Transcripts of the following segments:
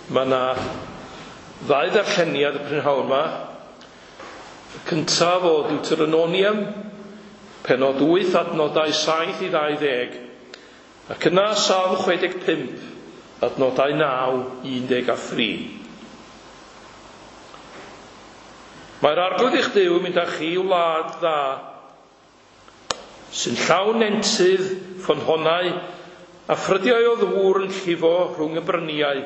Mae yna ddau ddarlleniad y prynhawn yma. Y cyntaf o Deuteronomium, penod 8 adnodau 7 i 20, ac yna Salm 65, adnodau 9 i 13. Mae'r arglwydd eich Duw yn mynd â chi i wlad dda, sy'n llawn nentydd, ffynhonnau a ffrydiau o ddŵr yn llifo rhwng y bryniau.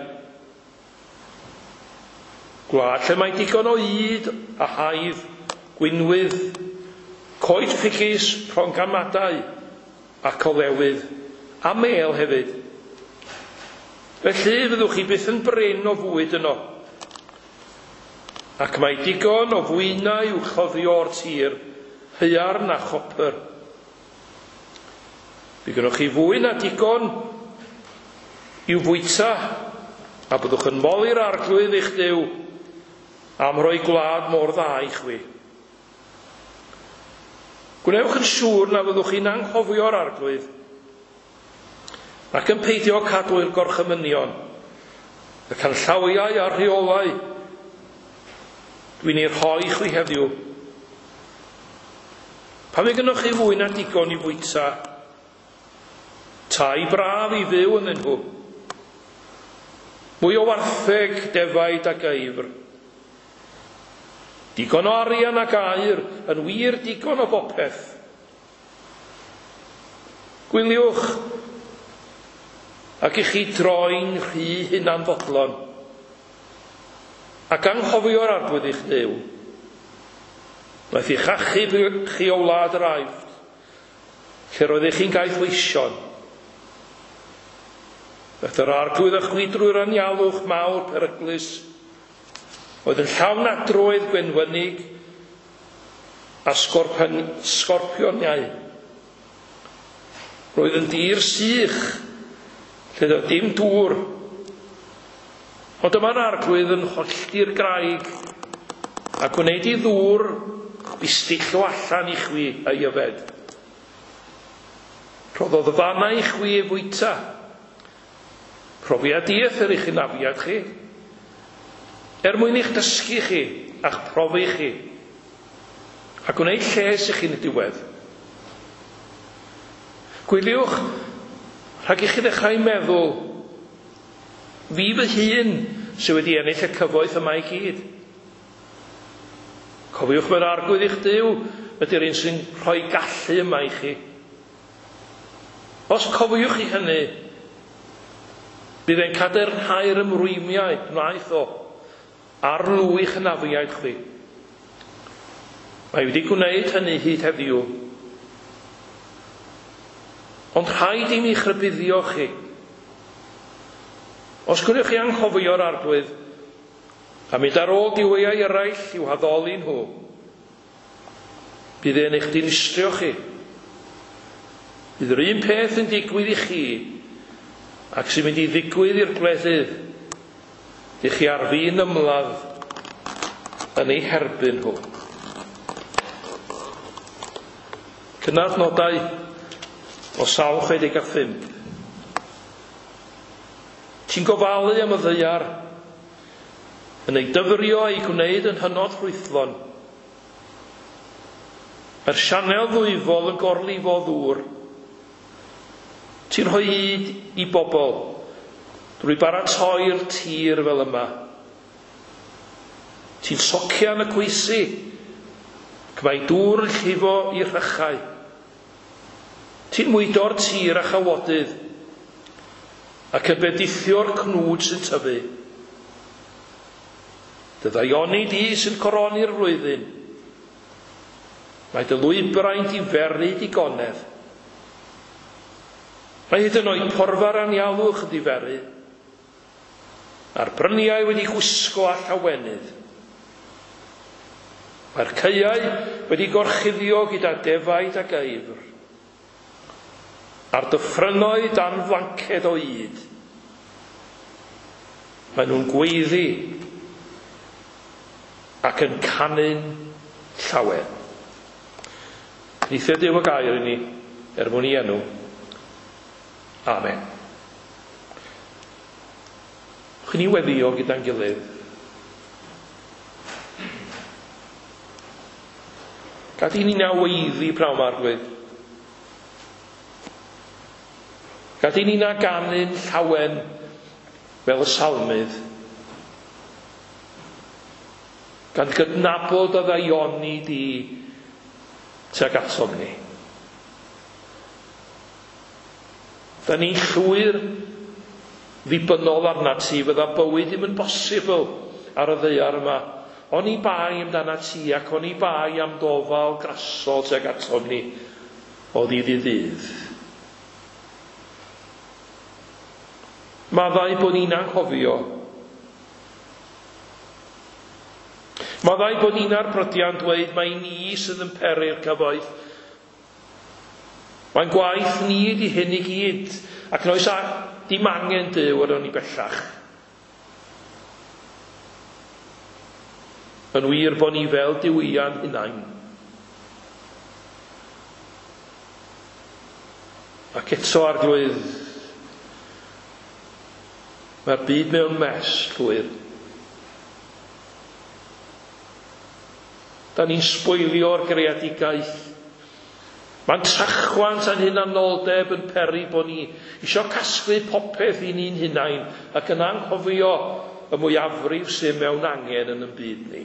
Gwlad lle mae digon o ŷd a haidd, gwinwydd, coed ffigys, prongamadau ac olewydd, a mêl hefyd. Felly fyddwch chi byth yn brin o fwyd yno. Ac mae digon o fwynau i'w chloddio o'r tir, haearn a chopr. Bydd gennych chi fwy na digon i'w fwyta, a byddwch yn moli'r arglwydd eich Duw am roi gwlad mor dda i chwi. Gwnewch yn siŵr na fyddwch chi'n anghofio'r arglwydd ac yn peidio cadw'r gorchymynion, y canllawiau a'r rheolau dwi'n ei rhoi chwi heddiw. Pan fydd gennych chi fwy na digon i fwyta, tai braf i fyw ynddyn nhw, mwy o wartheg, defaid a geifr, digon o arian ac aur, yn wir digon o bopeth. Gwyliwch ac i chi droi'n rhy hunanfodlon ac anghofio'r arglwydd eich Duw. Wnaeth eich achub chi o wlad yr Aifft, lle roeddech chi'n gaethweision. Daeth yr arglwydd â chwi drwy'r anialwch mawr peryglus, oedd yn llawn adroedd gwenwynig a sgorpioniau. Roedd yn dir sych, lle doedd dim dŵr. Ond dyma'r arglwydd yn hollti'r graig a gwneud i ddŵr bistillio allan i chwi ei yfed. Rhoddodd fanna i chwi ei fwyta. Profiad dieithr i'ch hynafiad chi, er mwyn i'ch dysgu chi a'ch profi chi, a gwneud lles i chi'n y diwedd. Gwyliwch rhag i chi ddechrau meddwl, fi fy hun sydd wedi ennill y cyfoeth yma i gyd. Cofiwch mae'r arglwydd eich Duw ydy'r un sy'n rhoi gallu yma i chi. Os cofiwch chi hynny, bydd e'n cadarnhau'r ymrwymiau wnaeth o ar lw i'ch hynafiaid chwi. Mae wedi gwneud hynny hyd heddiw. Ond rhaid i mi rhybuddio chi. Os gwnewch chi anghofio'r arglwydd, a mynd ar ôl duwiau eraill i'w haddoli nhw, bydd e'n eich dinistrio chi. Bydd yr un peth yn digwydd i chi ac sy'n mynd i ddigwydd i'r gwledydd dych chi ar fin ymladd yn eu herbyn nhw. Cynnal nodau o Salm 65. Ti'n gofalu am y ddaear, yn ei dyfrio a'i gwneud yn hynod ffrwythlon. Mae'r sianel ddwyfol yn gorlifo ddŵr. Ti'n rhoi hyd i bobl drwy baratoi'r tir fel yma. Ti'n socian y cwysi, ac mae dŵr yn llifo i'r rhychau. Ti'n mwydo'r tir a chawodydd, ac yn bendithio'r cnwd sy'n tyfu. Dy ddaioni di sy'n coroni'r flwyddyn. Mae dy lwybrau'n diferu digonedd. Mae hyd yn oed porfa'r anialwch yn diferu, a'r bryniau wedi gwisgo â llawenydd. Mae'r caeau wedi gorchuddio gyda defaid a geifr, a'r dyffrynnoedd dan flanced o ŷd. Maen nhw'n gweiddi ac yn canu'n llawen. Neithio Duw y gair i ni, er mwyn i enw. Amen. Chwn ni weddio gyda'n gilydd. Gad i ni na weiddi prawn Arglwydd. Gad i ni na ganu'n llawen fel y salmydd. Gan gydnabod y ddaioni di tuag atom ni. Da ni'n llwyr ddibynnol arna ti, fydda bywyd ddim yn bosibl ar y ddaear yma. Oni bai amdana ti ac oni bai am dofal grasol tuag atom ni o ddydd i ddydd. Maddau bod ni'n anghofio. Maddau bod ni'n ar brydiau'n dweud mai ni sydd yn peri'r cyfoeth. Mae'n gwaith ni ydi hyn i gyd, ac noes a dim angen Duw arnon ni bellach. Yn wir bod ni fel duwiau'n hunain. Ac eto, Arglwydd, mae'r byd mewn mess llwyr. Da ni'n sbwylio'r greadigaeth. Mae'n trachwant a'n hunanoldeb yn peri bod ni isio casglu popeth i ni'n hunain ac yn anghofio y mwyafrif sydd mewn angen yn y byd ni.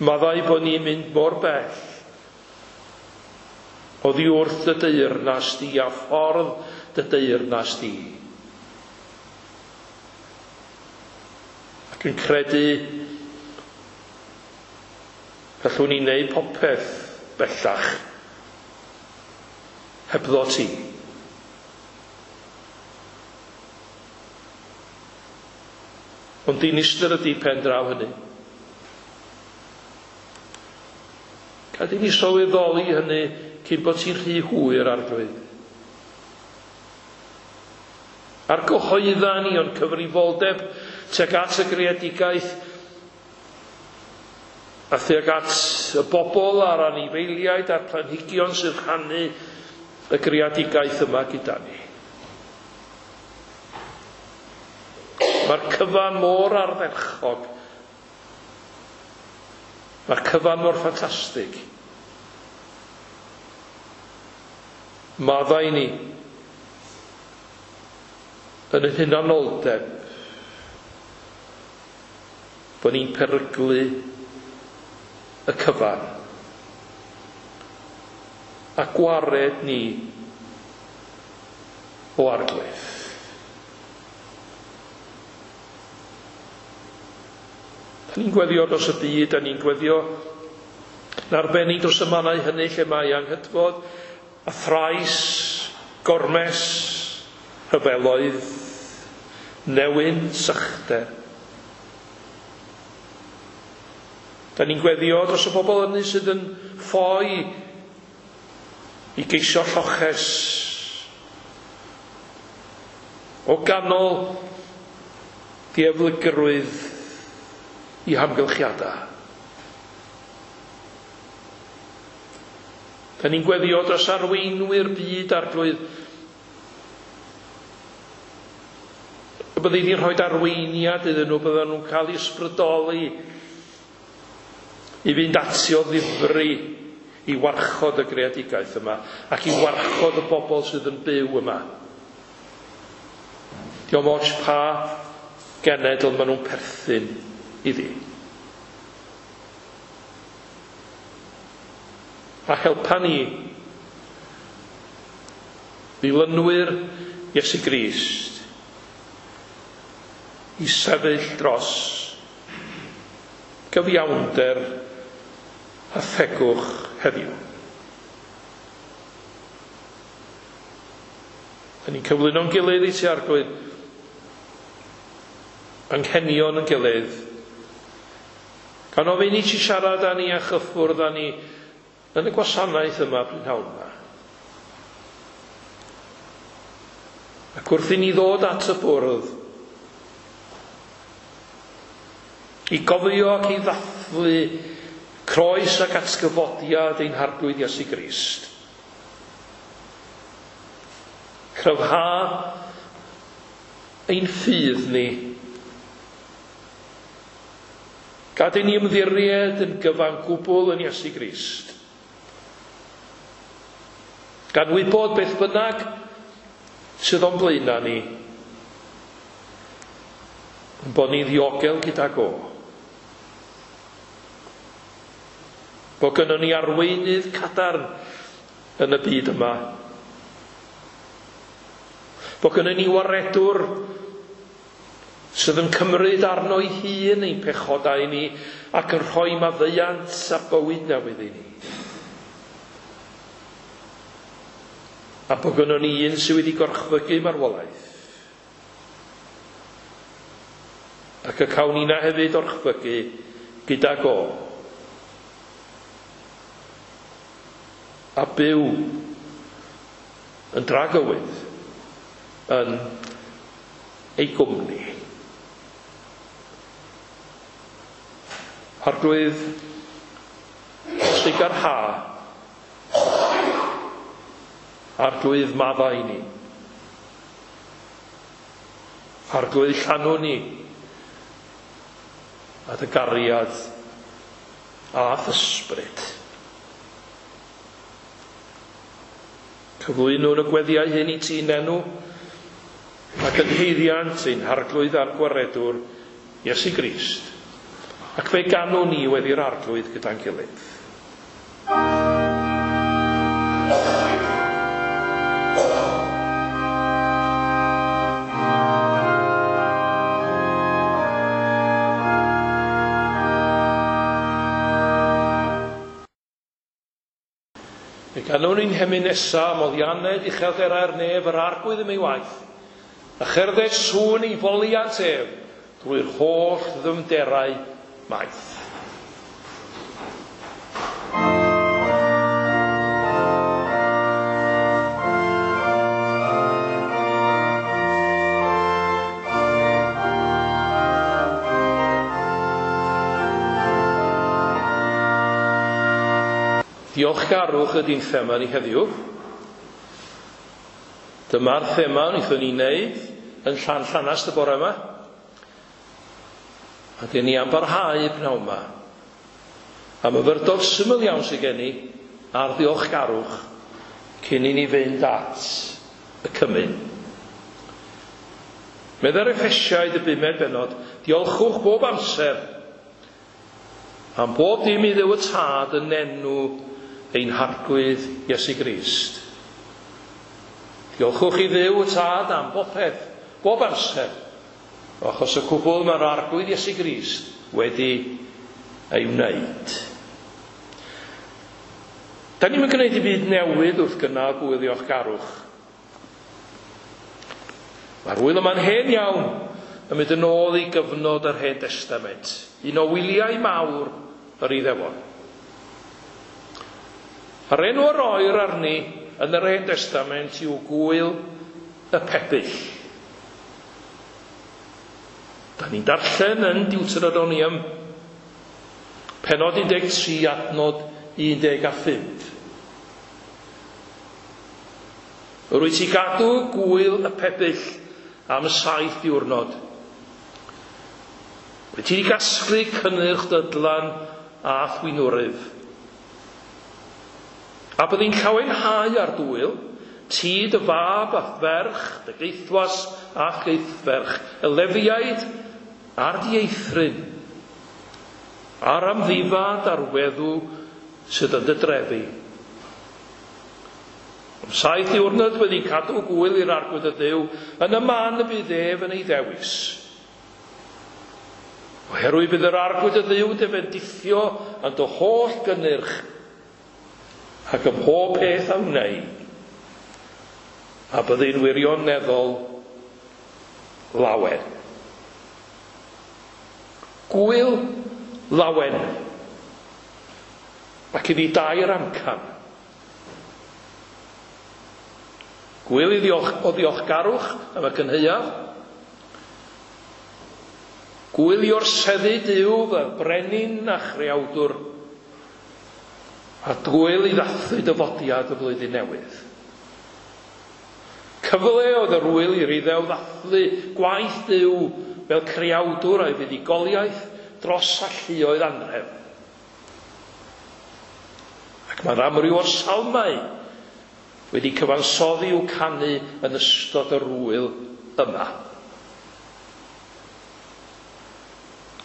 Maddau bod ni'n mynd mor bell oddi wrth dy deyrnas di a ffordd dy deyrnas di. Ac yn credu gallwn ni wneud popeth bellach hebddo ti. Ond dinistr ydy pen draw hynny. Gad i ni sylweddoli hynny cyn bod ti'n rhy hwyr, Arglwydd. A'r gyhoedda ni o'n cyfrifoldeb tuag at y greadigaeth a thuag at y bobl a'r anifeiliaid a'r planhigion sy'n rhannu y greadigaeth yma gyda ni. Mae'r cyfan mor ardderchog. Mae'r cyfan mor ffantastig. Maddau ni yn y hunanoldeb bod ni'n peryglu y cyfan a gwared ni o Arglwydd. Da ni'n gweddio dros y byd, da ni'n gweddio yn arbennig dros y mannau hynny lle mae anghydfod a thrais, gormes, rhyfeloedd, newyn, sychder. Da ni'n gweddio dros y bobl hynny sydd yn ffoi i geisio lloches o ganol dieflygrwydd i hamgylchiadau. Da ni'n gweddio dros arweinwyr byd, Arglwydd, y byddi di'n rhoi arweiniad iddyn nhw, bydden nhw'n cael eu ysbrydoli i fynd ati o ddifri i warchod y greadigaeth yma ac i warchod y bobl sydd yn byw yma. Diolch ots pa genedl maen nhw'n perthyn iddi. A helpa ni, ddilynwyr Iesu Grist, i sefyll dros gyfiawnder a thegwch heddiw. Da ni'n cyflwyno'n gilydd i ti, Arglwydd, anghenion yn gilydd, gan ofyn i ti siarad â ni a chyffwrdd â ni yn y gwasanaeth yma prynhawn yma. Ac wrth i ni ddod at y bwrdd, i gofio ac i ddathlu croes ac atgyfodiad ein Harglwydd Iesu Grist. Cryfha ein ffydd ni. Gad i ni ymddiried yn gyfan gwbl yn Iesu Grist. Gan wybod beth bynnag sydd o'n blaenau ni, bod ni'n ddiogel gydag o. Bod gynnon ni arweinydd cadarn yn y byd yma. Bod gynnon ni waredwr sydd yn cymryd arno ei hun ein pechodau ni ac yn rhoi maddeuant a bywyd newydd i ni. A bod gynnon ni un sydd wedi gorchfygu marwolaeth. Ac y cawn ni'na hefyd orchfygu gydag o. A byw yn dragywydd yn ei gwmni. Arglwydd, trugarha, Arglwydd maddau ni. Arglwydd llanw ni a dy gariad a'th ysbryd. Cyflwynwn y gweddiau hyn i ti'n enw ac yn haeddiant ein Harglwydd a'r Gwaredwr, Iesu Grist. Ac fe ganwn ni weddi'r Arglwydd gyda'n gilydd. Fe ganwn ni'n hemyn nesa am oddianed uchelderau'r nef yr Arglwydd am ei waith, a cherdded sŵn ei foliant ef drwy'r holl ddyfnderau maith. Diolchgarwch ydy'n thema ni heddiw. Dyma'r thema wnaethon ni wneud yn Llanllanast y bore yma. A dyn ni am barhau pnawn yma. A myfyrdod syml iawn sydd gen i ar ddiolchgarwch cyn i ni fynd at y cymun. Meddai'r Effesiaid y bumed bennod, diolchwch bob amser am bob dim i Dduw y Tad yn enw ein Harglwydd Iesu Grist. Diolchwch i Dduw y Tad am bopeth, bob amser, achos y cwbl mae'r Arglwydd Iesu Grist wedi ei wneud. Da ni'n gwneud i byd newydd wrth gynnal gŵyl ddiolchgarwch. Mae'r ŵyl yma'n hen iawn, yn mynd yn ôl i gyfnod yr Hen Testament, un o wyliau mawr yr Iddewon. Yr enw a roir arni yn yr Hen Testament yw Gŵyl y Pebyll. Da ni'n darllen yn Deuteronomium, pennod 13, adnod 15. Yr wyt ti gadw gŵyl y pebyll am 7 diwrnod. Wyt ti wedi gasglu cynnyrch dydlan a thwynwryf. A byddi'n llawenhau ar dwyl, ti dy fab a ferch, dy geithwas a geithferch, y Lefiaid a'r dieithryn, a'r amddifad a'r weddw sydd yn dy drefi. Am 7 diwrnod wedi cadw gŵyl i'r Arglwydd y Dduw yn y man y bydd ef yn ei ddewis. Oherwydd bydd yr Arglwydd y Dduw dy fendithio yn dy holl gynnyrch ac ym mhob peth a wnei, a byddi'n wirioneddol lawen. Gŵyl lawen. Ac iddi dair amcan. Gŵyl i ddiolch, o ddiolchgarwch am y cynhaeaf. Gŵyl i orseddu Duw fel brenin a chreawdwr. A gŵyl i ddathlu dyfodiad y flwyddyn newydd. Cyfle oedd yr wyl i'r Iddew ddathlu gwaith Duw fel creawdwr a'i fuddugoliaeth dros alluoedd anrhefn. Ac mae'r amryw o'r salmau wedi cyfansoddi i'w canu yn ystod yr wyl yma.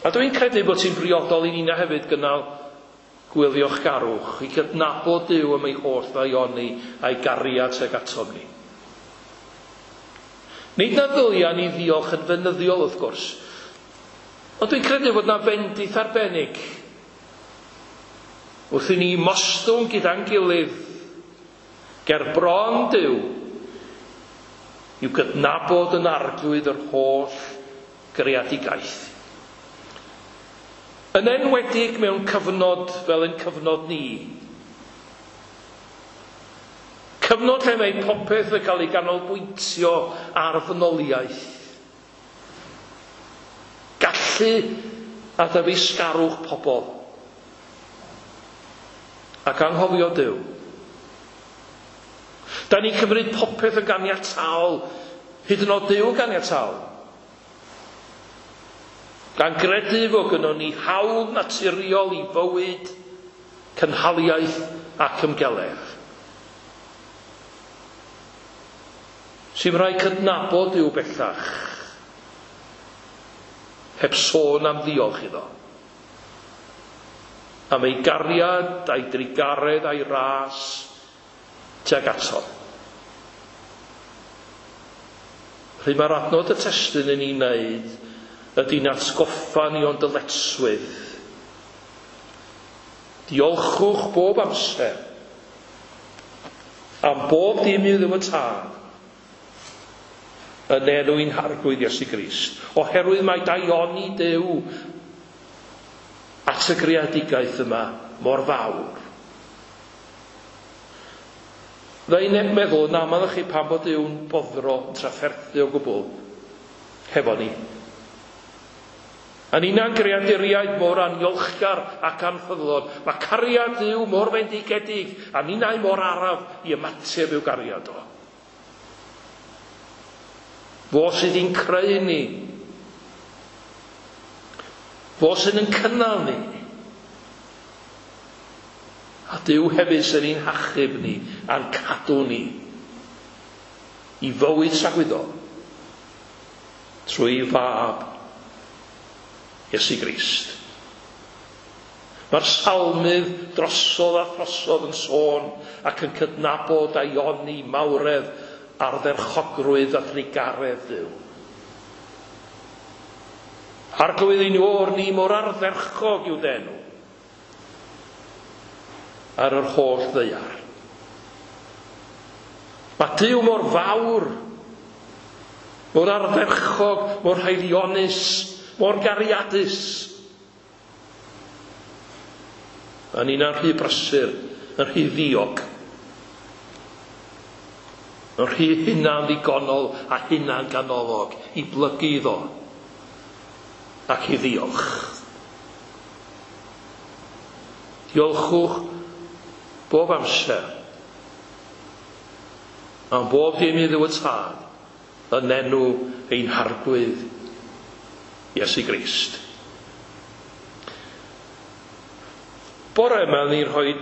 A dwi'n credu bod ti'n briodol i nina hefyd gynnal gwyl ddiolchgarwch, i gydnabod Duw am ei holl ddaioni a'i gariad tuag atom ni. Nid na ddylia ni ddiolch yn fynyddiol wrth gwrs, ond dwi'n credu fod na fendith arbennig wrth i ni mostwng gyda'n gilydd ger bron Duw i'w gydnabod yn arglwydd yr holl greadigaeth. Yn enwedig mewn cyfnod fel ein cyfnod ni. Cyfnod lle mae popeth yn cael ei ganolbwyntio ar ddynoliaeth. Gallu a ddyfeisgarwch pobl. Ac anghofio Duw. Da ni'n cymryd popeth yn ganiataol, hyd yn oed Duw yn ganiataol. Gan gredu fod gynnon ni hawl naturiol i fywyd, cynhaliaeth ac ymgeledd. Sy'n rhaid cydnabod Duw bellach, heb sôn am ddiolch iddo. Am ei gariad, a'i drugaredd, a'i ras tuag ato. Rhy mae'r adnod y testun yn ei wneud ydy'n atgoffa ni o'n dyletswydd. Diolchwch bob amser am bob dim i Dduw y Tad yn enw ein Harglwydd Iesu Grist, oherwydd mae daioni Duw at y greadigaeth yma mor fawr. Fydda i'n meddwl yn aml chi pam bod Duw'n boddro yn trafferthu o gwbl hefo ni. A ninnau'n greaduriaid mor aniolchgar ac anffyddlon. Mae cariad Duw mor fendigedig a ninnau mor araf i ymateb i'w gariad o. Fo sydd i'n creu ni. Fo sydd yn cynnal ni. A Duw hefyd sydd i'n hachub ni a'n cadw ni i fywyd tragwyddol trwy fab Iesu Grist. Mae'r salmydd drosodd a throsodd yn sôn ac yn cydnabod daioni mawredd ardderchogrwydd a thrugaredd Duw. Arglwydd ein o'r ni mor ardderchog yw d'enw ar yr holl ddaear. Mae Duw mor fawr, mor ardderchog, mor haelionus, mor gariadus. A ni'n rhy brysur, yn rhy ddiog, yn rhy hunan ddigonol a hunan ganolog i blygu iddo ac i ddiolch. Diolchwch bob amser am bob dim i Dduw y Tad yn enw ein Harglwydd Iesu Grist. Bore yma ni'n rhoi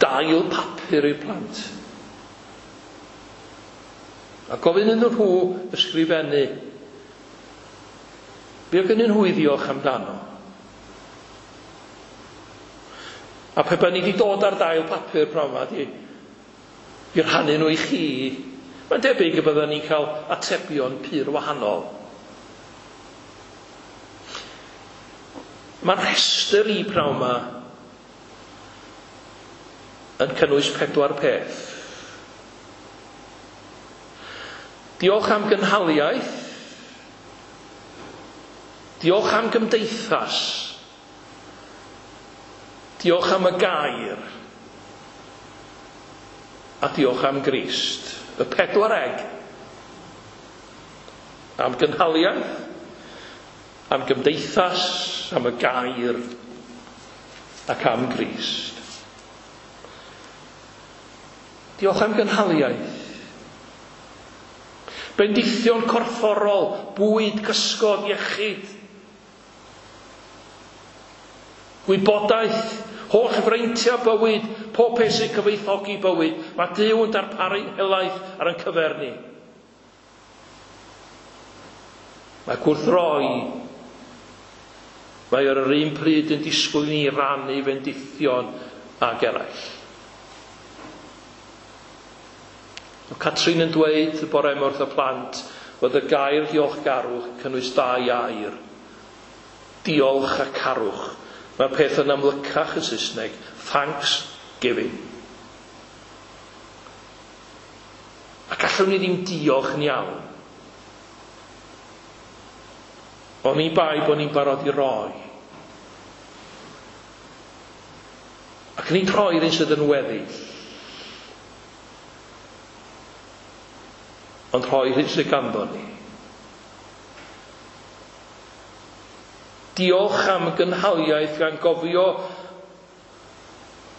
dail papur i'r plant. A gofyn iddyn nhw ysgrifennu be oedd gennyn nhw i ddiolch amdano. A pe baen ni wedi dod ar dail papur pnawn yma i rhannu nhw i chi, mae'n debyg y byddwn ni'n cael atebion pur wahanol. Mae'r rhestr i pnawn yma yn cynnwys 4 peth. Diolch am gynhaliaeth, diolch am gymdeithas, diolch am y gair, a diolch am Grist. Y 4 eg. Am gynhaliaeth, am gymdeithas, am y gair, ac am Grist. Diolch am gynhaliaeth. Bendithion corfforol, bwyd, cysgod, iechyd. Gwybodaeth, holl freintiau bywyd, pob peth sy'n cyfoethogi bywyd. Mae Duw yn darparu'n helaeth ar ein cyfer ni. Mae gwrth roi, mae ar yr un pryd yn disgwyl i ni rannu fendithion ag eraill. Mae Catrin yn dweud y bore yma wrth y plant fod y gair diolchgarwch yn cynnwys dau air. Diolch a carwch. Mae'r peth yn amlycach yn Saesneg. Thanks giving. A gallwn ni ddim diolch yn iawn. Oni bai bod ni'n barod i roi. Ac nid rhoi'r un sydd yn weddill. Ond rhoi'r hyn sydd ganddo ni. Diolch am gynhaliaeth gan gofio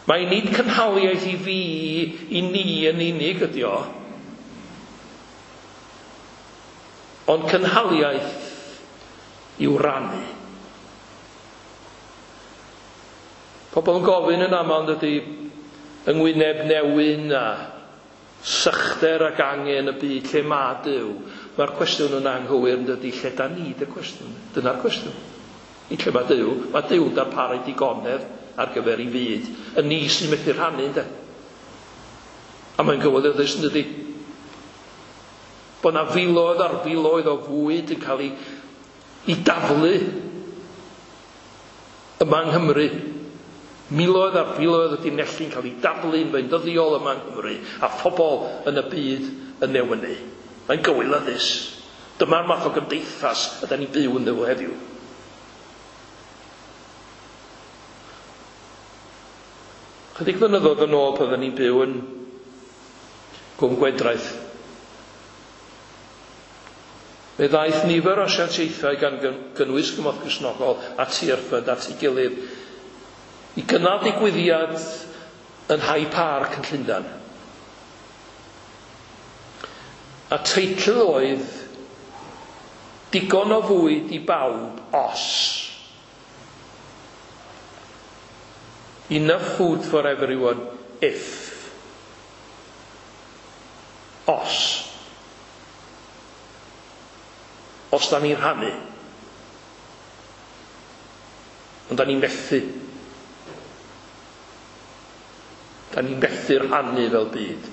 mai nid cynhaliaeth i fi, i ni yn unig ydi o, ond cynhaliaeth i'w rannu. Pobl yn gofyn yn aml yn dydy yng ngwyneb newyn a sychder ac angen y byd lle mae Duw. Mae'r cwestiwn yn anghywir yn dydy lle da ni dy cwestiwn. Dyna'r cwestiwn. Nid lle mae Duw. Mae Duw'n darparu digonedd ar gyfer ei fyd. Y ni sy'n methu rhannu ynde. A mae'n gywilyddus yn dydy. Bod na filoedd ar filoedd o fwyd yn cael ei, ei daflu yma yng Nghymru. Miloedd ar filoedd o dunelli'n cael ei daflu'n feunyddiol yma yng Nghymru a phobl yn y byd yn newynu. Mae'n gywilyddus. Dyma'r math o gymdeithas ydan ni'n byw ynddo fo heddiw. Chydig flynyddoedd yn ôl pan oedden ni'n byw yn Gwm Gwendraeth, fe ddaeth nifer o asiantaethau gan gynnwys Cymorth Cristnogol a Tearfund at ei gilydd i gynnal digwyddiad yn High Park yn Llundain. A teitl oedd Digon o fwyd i bawb os. Enough food for everyone if. Os. Os da ni'n rhannu. Ond da ni'n methu. Da ni'n methu rhannu fel byd.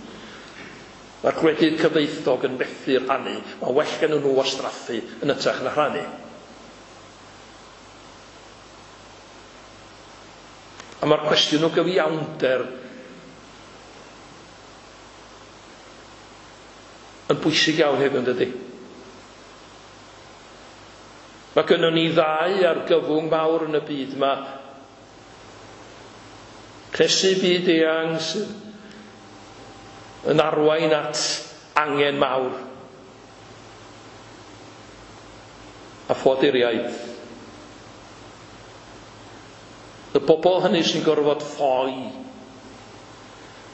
Mae'r gwledydd cyfoethog yn methu rhannu. Mae well gen nhw wastraffu yn hytrach na rhannu. A mae'r cwestiwn o gyfiawnder yn bwysig iawn hefyd, yn dydy? Mae gynnon ni ddau argyfwng mawr yn y byd yma. Cnesu byd eang sydd yn arwain at angen mawr. A ffoaduriaid. Y bobl hynny sy'n gorfod ffoi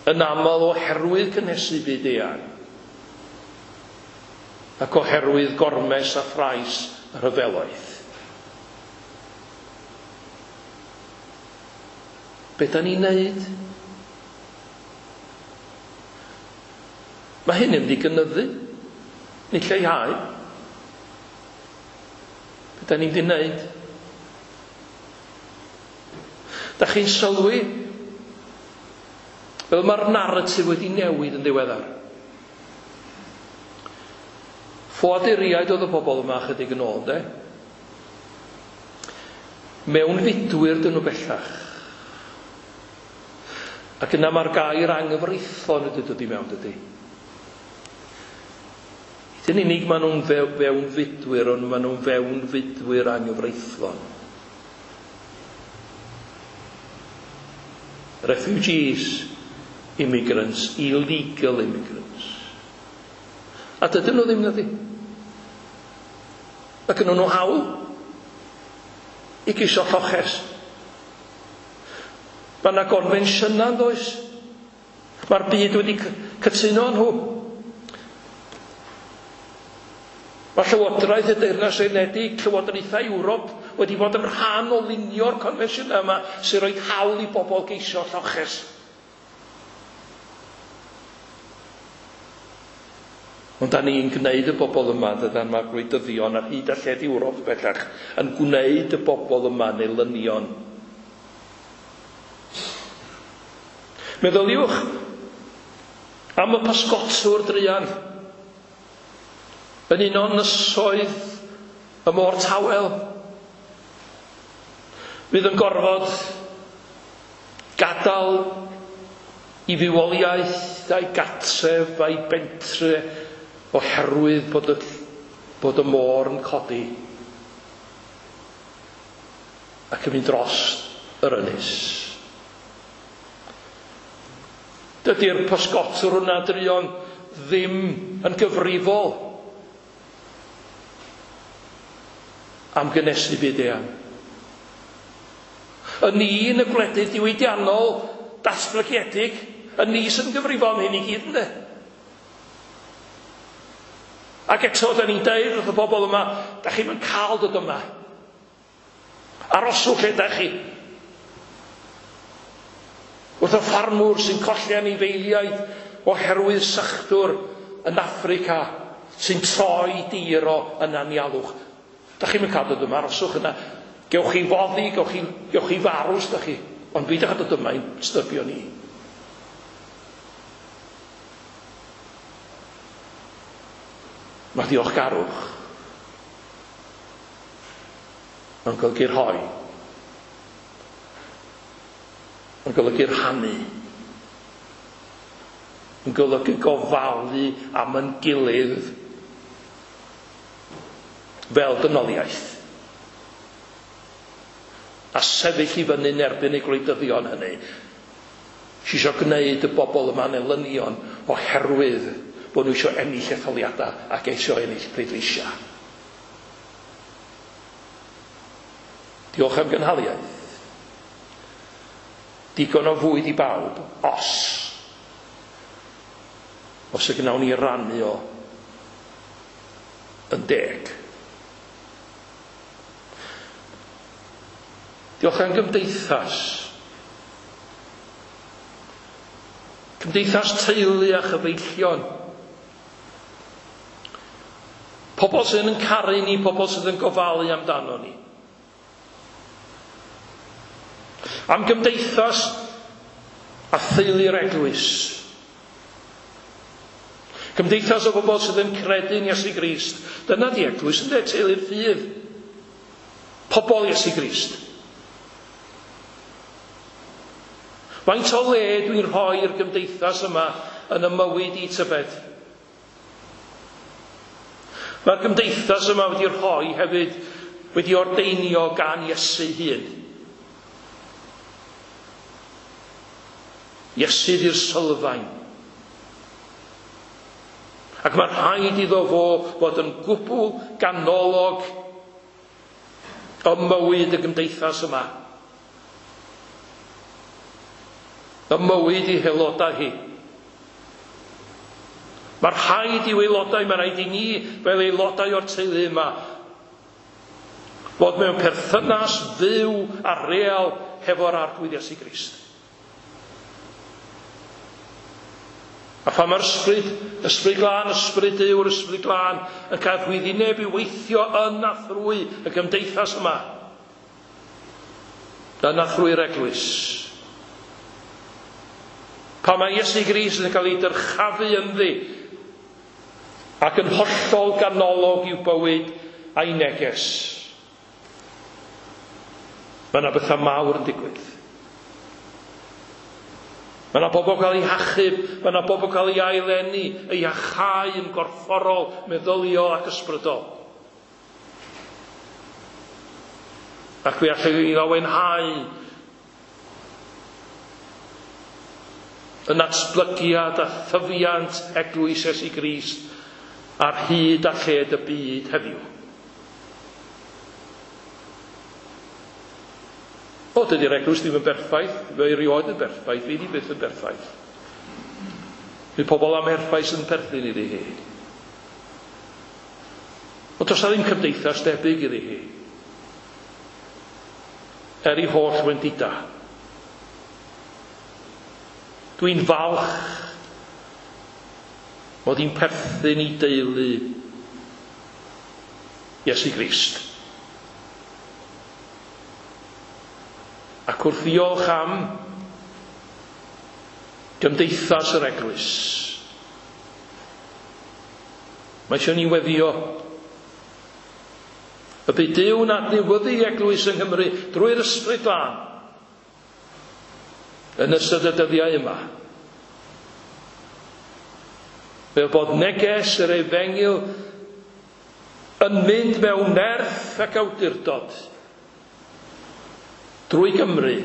yn aml oherwydd cynhesu byd eang ac oherwydd gormes a thrais y rhyfeloedd. Be da ni'n neud? Mae hyn yn mynd i gynyddu, nid lleihau. Be da ni'n mynd i wneud? Da chi'n sylwi fel mae'r narratif wedi newid yn ddiweddar. Ffoaduriaid oedd y bobl yma chydig yn ôl, de? Mewnfudwyr dyn nhw bellach. Ac yna mae'r gair anghyfreithlon wedi dod i mewn, dydy. Nid yn unig maen nhw'n fewnfudwyr, ond maen nhw'n fewnfudwyr anghyfreithlon. Refugees, immigrants, illegal immigrants. A dydyn nhw ddim, nadi. Mae gynnon nhw hawl i geisio lloches. Mae yna gonfensiynau, yn does? Mae'r byd wedi cytuno nhw. Mae Llywodraeth y Deyrnas Unedig, Llywodraethau Ewrop wedi bod yn rhan o lunio'r confensiynau yma sy'n rhoi hawl i bobl geisio lloches. Ond da ni'n gwneud y bobl yma, dydan, mae'r gwleidyddion ar hyd a lled Ewrop bellach yn gwneud y bobl yma yn elynion. Meddyliwch am y pysgotwr druan yn un o'n ynysoedd y môr tawel. Fydd yn gorfod gadael i fywoliaeth a'i gatref a'i bentre oherwydd bod y, bod y môr yn codi ac yn mynd dros yr ynys. Dydy'r pysgotwr hwnna druan ddim yn gyfrifol am gynnesu byd eang. Y ni yn y gwledydd diwydiannol datblygiedig, y ni sy'n gyfrifol am hyn i gyd, ynddo? Ac eto, da ni'n deud wrth y bobl yma, da chi'm yn cael dod yma. Aroswch lle da chi. Wrth y ffarmwr sy'n colli anifeiliaid oherwydd sychdwr yn Affrica sy'n troi dir o yn anialwch. Da chi'm yn cael dod yma, aroswch yna. Gewch chi foddi, gewch chi, gewch chi farw os da chi. Ond beidiwch â dod yma i'n stybio ni. Mae diolchgarwch yn golygu rhoi. Yn golygu rhannu. Yn golygu gofalu am yn gilydd fel dynoliaeth. A sefyll i fyny'n erbyn y gwleidyddion hynny. Sy eisiau gwneud y bobl yma'n elynion oherwydd bod nhw eisiau ennill etholiadau ac eisiau ennill pleidleisiau. Diolch am gynhaliaeth. Digon o fwyd i bawb, os. Os y gnawn ni rannu o yn deg. Diolch am gymdeithas. Cymdeithas teulu a chyfeillion. Pobl sydd yn caru ni, pobl sydd yn gofalu amdano ni. Am gymdeithas a theulu'r eglwys. Cymdeithas o bobl sydd yn credu'n Iesu Grist. Dyna di eglwys, ynddo, teulu'r ffydd. Pobl Iesu Grist. Faint o le dwi'n rhoi i'r gymdeithas yma yn y mywyd i tybed? Mae'r gymdeithas yma wedi rhoi hefyd, wedi ordeinio gan Iesu hun. Iesu di'r sylfaen. Ac mae rhaid iddo fo fod yn gwbl ganolog ym mywyd y gymdeithas yma. Ym mywyd i haelodau hi. Mae rhaid i'w aelodau, mae rhaid i ni fel aelodau o'r teulu yma fod mewn perthynas fyw a real hefo'r Arglwydd Iesu Grist. A phan mae'r ysbryd, ysbryd glân, ysbryd Duw'r ysbryd glân, yn cael rhwyddineb i weithio yn a thrwy y gymdeithas yma, yn a thrwy'r eglwys. Pan mae Iesu Grist yn cael ei dyrchafu ynddi ac yn hollol ganolog i'w bywyd a'i neges, mae yna bethau mawr yn digwydd. Mae yna bobl cael eu hachub, mae yna bobl cael eu aileni, eu iachau yn gorfforol, meddyliol ac ysbrydol. Ac fe allai ni lawenhau yn natblygiad a thyfiant eglwys Iesu Grist ar hyd a lled y byd heddiw. O, dydy'r eglwys ddim yn berffaith, fe erioed yn berffaith, fi di byth yn berffaith. Fydd pobl am erfais yn perthyn iddi hi. Ond does 'na ddim cymdeithas debyg iddi hi. Er ei holl wendida. Dwi'n falch mod i'n perthyn i deulu Iesu Grist. Ac wrth ddiolch am gymdeithas yr eglwys, mae eisiau ni weddio y bydd Duw'n adnewyddu eglwys yng Nghymru drwy'r Ysbryd Glân yn ystod y dyddiau yma. Fel bod neges yr efengyl yn mynd mewn nerth ac awdurdod drwy Gymru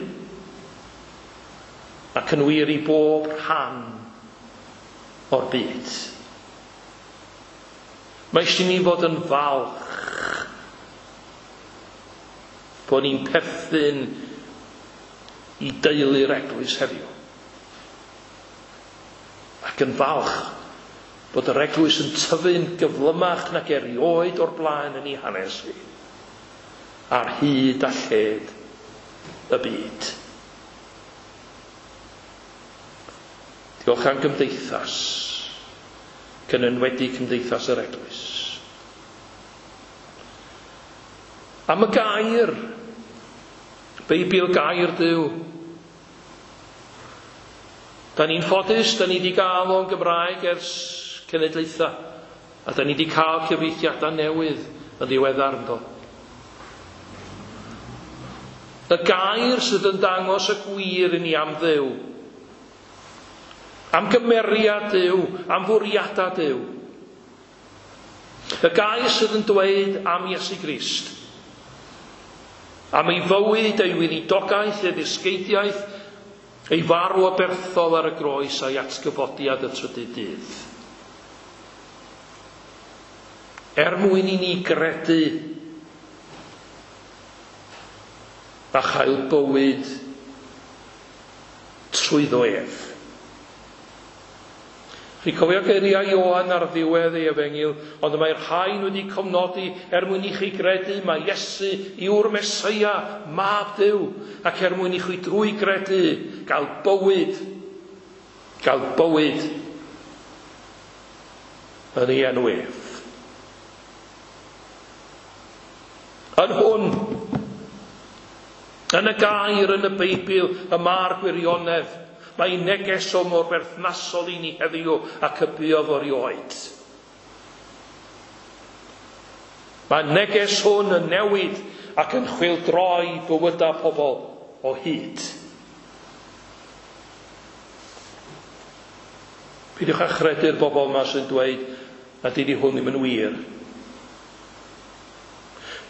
ac yn wir i bob rhan o'r byd. Mae eisiau ni fod yn falch bod ni'n perthyn i deulu'r eglwys heddiw. Ac yn falch bod yr eglwys yn tyfu'n gyflymach nag erioed o'r blaen yn ei hanes hi, ar hyd a lled y byd. Diolch am gymdeithas, ac yn enwedig cymdeithas yr eglwys. Am y gair, Beibl gair Duw. Da ni'n ffodus, da ni wedi gael o'n Gymraeg ers cenedlaethau, a da ni wedi cael cyfieithiadau newydd yn ddiweddar ynddo. Y gair sydd yn dangos y gwir i ni am Dduw, am gymeriad Duw, am fwriadau Duw. Y gair sydd yn dweud am Iesu Grist, am ei fywyd, ei weinidogaeth, ei ddysgeidiaeth, ei farw aberthol ar y groes a'i atgyfodiad y trydydd dydd. Er mwyn i ni gredu a chael bywyd trwyddo ef. Chi'n cofio geiriau Ioan ar ddiwedd ei efengyl, ond mae'r rhain wedi cofnodi er mwyn i chi gredu mai Iesu yw'r Meseia, Mab Duw, ac er mwyn i chi drwy gredu gael bywyd, gael bywyd yn ei enw ef. Yn hwn, yn y gair yn y Beibl, y mae'r gwirionedd. Mae neges o mor berthnasol i ni heddiw ac y buodd erioed. Mae neges hwn yn newid ac yn chwyldroi bywydau pobl o hyd. Peidiwch â chredu'r bobl yma sy'n dweud nad ydy hwn ddim yn wir.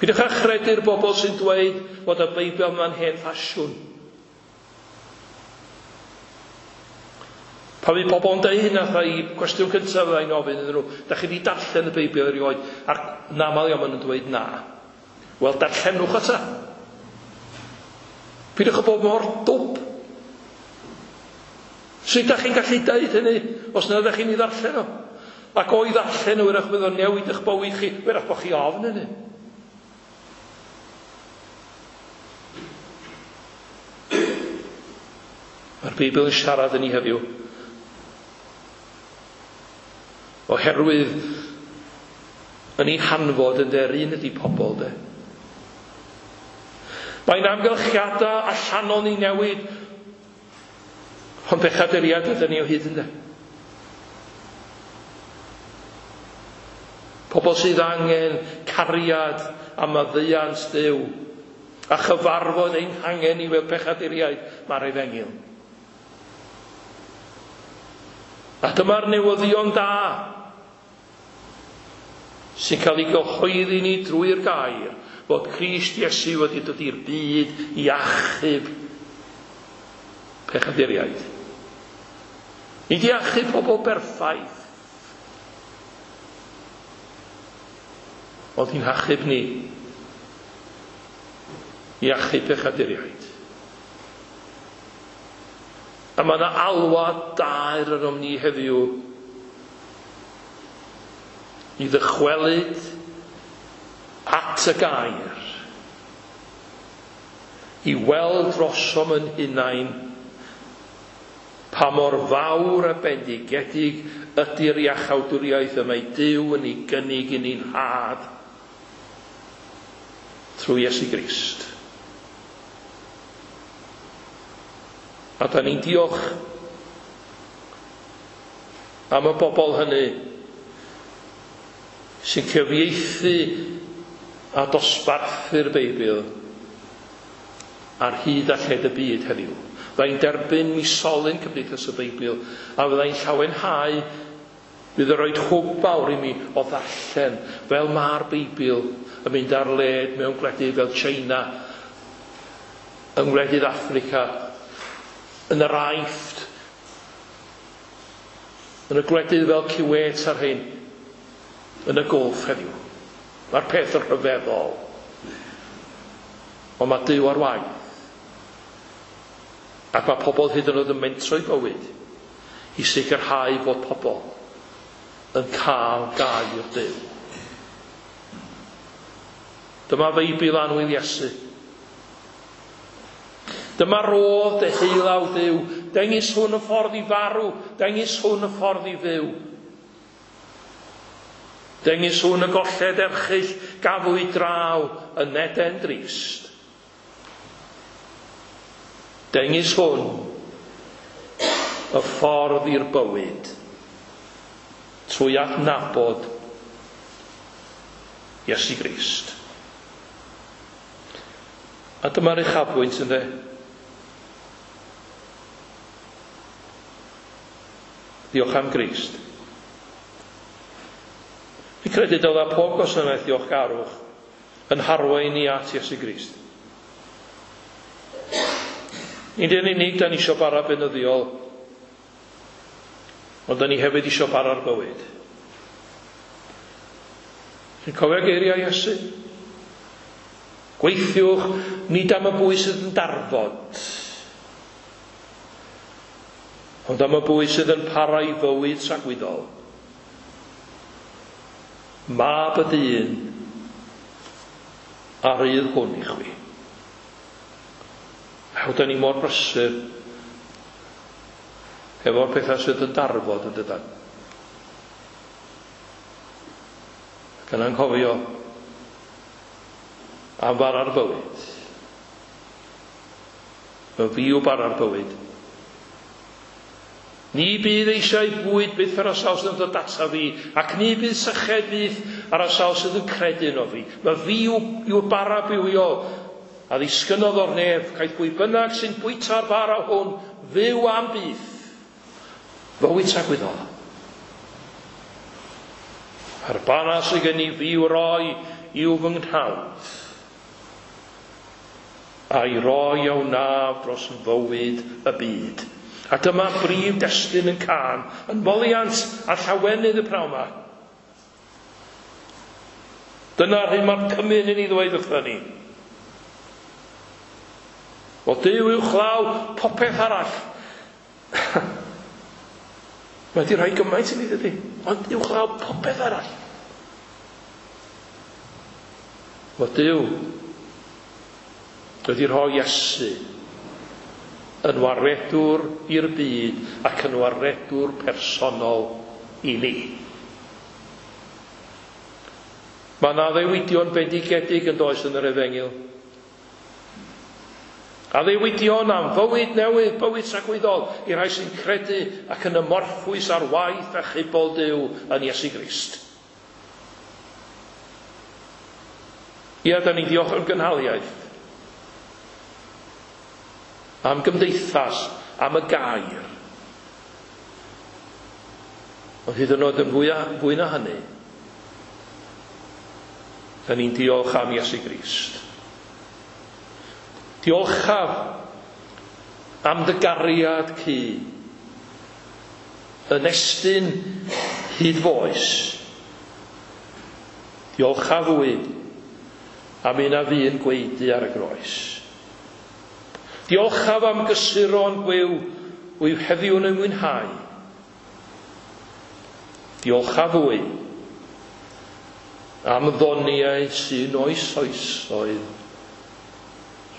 Peidiwch â chredu'r bobl sy'n dweud bod y Beibl yma'n hen ffasiwn. Pan fydd pobl yn deud hynna, fatha i cwestiwn cyntaf fydda i'n ofyn iddyn nhw, da chi wedi darllen y Beibl erioed? A'r yn aml iawn maen nhw'n dweud na. Wel, darllenwch o ta. Peidiwch â bod mor dwp. Sut da chi'n gallu deud hynny os na ydych chi'n ei ddarllen o? Ac o'i ddarllen o, wyrach bydd o'n newid eich bywyd chi, wyrach bod chi ofn hynny. Mae'r Beibl yn siarad yn ni heddiw. Oherwydd yn ei hanfod yn de'r un ydy pobl de. Mae'n amgylchiadau allanol ni newid, ond pechaduriaid ydyn ni o hyd ynde. Pobl sydd angen cariad a maddeuant Duw a chyfarfod ein hangen i fel pechaduriaid, mae'r efengyl. A dyma'r newyddion da sy'n cael ei gyhoeddi ni drwy'r gair fod Crist Iesu wedi dod i'r byd i achub pechaduriaid. Nid i achub pobl berffaith, ond i'n hachub ni, i achub pechaduriaid. A mae yna alwad daer arnom ni heddiw i ddychwelyd at y gair, i weld drosom yn hunain pa mor fawr a bendigedig ydy'r iachawdwriaeth y mae Duw yn ei gynnig i ni'n rhad trwy Iesu Grist. A da ni'n diolch am y bobl hynny sy'n cyfieithu a dosbarthu'r Beibl ar hyd a lled y byd heddiw. Fyddai'n derbyn misolyn Cymdeithas y Beibl a fyddai'n llawenhau, bydd yn rhoi hwb mawr i mi o ddarllen fel mae'r Beibl yn mynd ar led mewn gwledydd fel China, yng ngwledydd Affrica, yn yr Aifft, yn y gwledydd fel Kuwait a'r rhain, yn y Gulf heddiw. Mae'r peth yn rhyfeddol. Ond mae Duw ar waith. Ac mae pobl hyd yn oed yn mentro'i bywyd i sicrhau fod pobl yn cael gair Duw. Dyma Feibl annwyl Iesu. Dyma rodd deheulaw Duw. Dengys hwn y ffordd i farw. Dengys hwn y ffordd i fyw. Dengys hwn y golled erchyll gafwyd draw yn Eden drist. Dengys hwn y ffordd i'r bywyd trwy adnabod Iesu Grist. A dyma'r uchafbwynt, ynde? Diolch am Grist. Fi'n credu dylai pob gwasanaeth diolchgarwch yn harwain ni at Iesu Grist. Nid yn unig da ni eisiau bara beunyddiol, ond da ni hefyd eisiau bara'r bywyd. Chi'n cofio geiriau Iesu? Gweithiwch nid am y bwyd sydd yn darfod, ond am y bwyd sydd yn para i fywyd tragwyddol. Mab y dyn a rydd hwn i chwi. Aw, da ni mor brysur efo'r pethau sydd yn darfod yn dydan. Ac yn anghofio am fara'r bywyd. Y fi yw bara'r bywyd. Ni bydd eisiau bwyd byth ar y sawl sydd yn dod ata fi, ac ni bydd syched byth ar y sawl sydd yn credu yno fi. Mae fi yw'r bara bywiol a ddisgynnodd o'r nef, caiff pwy bynnag sy'n bwyta'r bara hwn fyw am byth. Fywyd tragwyddol. A'r bara sydd gen i fi i'w roi yw fy nghnawd, a'i roi a wnaf dros fywyd y byd. A dyma brif destun yn cân, yn moliant a llawenydd y pnawn 'ma. Dyna'r hyn mae'r cymun yn ei ddweud wrthon ni. O Duw uwchlaw popeth arall. Mae wedi rhoi gymaint i ni, dydy? Ond uwchlaw popeth arall. O Duw wedi rhoi Iesu yn waredwr i'r byd ac yn waredwr personol i ni. Mae yna addewidion bendigedig yn does yn yr Efengyl. Addewidion am fywyd newydd, bywyd tragwyddol i rai sy'n credu ac yn ymorffwys ar waith achubol Duw yn Iesu Grist. Ia, da ni'n diolch am gynhaliaeth, am gymdeithas, am y gair. Ond hyd yn oed yn fwy, fwy na hynny, da ni'n diolch am Iesu Grist. Diolchaf am dy gariad cu, yn estyn hyd foes. Diolchaf fwy am un a fu'n gwaedu ar y groes. Diolchaf am gysuron gwiw wyf heddiw yn ei mwynhau. Diolcha fwy am ddoniau sy'n oes oesoedd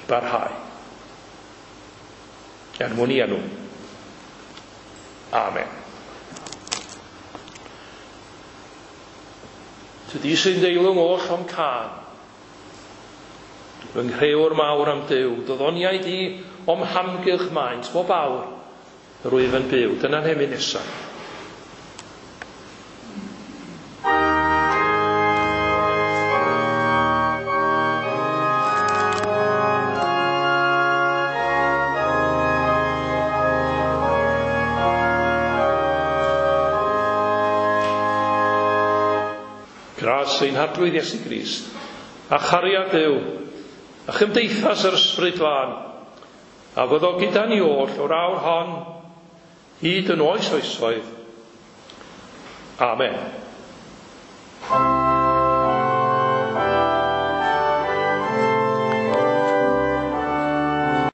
i barhau. Er mwyn i enw. Amen. Tydi sy'n deilwng oll o'm cân. Fy nghrewr mawr am Duw, dy ddoniau di o'm hamgylch maent, bob awr, yr wyf yn byw. Dyna'n hemyn nesaf. Gras ein Harglwydd Iesu Grist, a chariad Duw, a chymdeithas yr Ysbryd Glân, a fyddo gyda ni oll o'r awr hon hyd yn oes oesoedd. Amen.